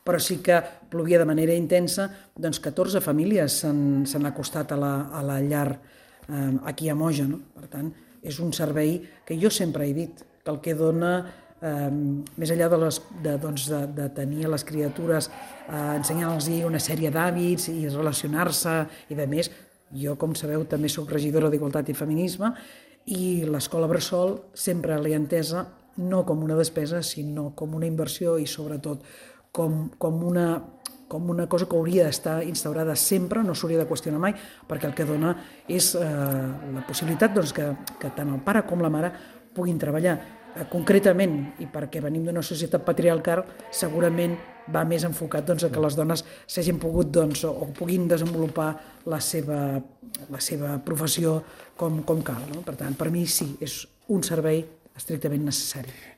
però sí que plovia de manera intensa, doncs 14 famílies s'han acostat a la llar aquí a Moja, no? Per tant, és un servei que jo sempre he dit, que el que dona, més enllà de tenir a les criatures, ensenyar-los una sèrie d'hàbits i relacionar-se i de més, jo, com sabeu, també soc regidora d'Igualtat i Feminisme i l'escola Bressol sempre l'he entesa no com una despesa, sinó com una inversió i sobretot com una cosa que hauria d'estar instaurada sempre, no s'hauria de qüestionar mai, perquè el que dona és la possibilitat que tant el pare com la mare puguin treballar. Concretament, i perquè venim d'una societat patriarcal, segurament va més enfocat a que les dones s'hagin pogut o puguin desenvolupar la seva professió com cal. No? Per tant, per mi sí, és un servei estrictament necessari.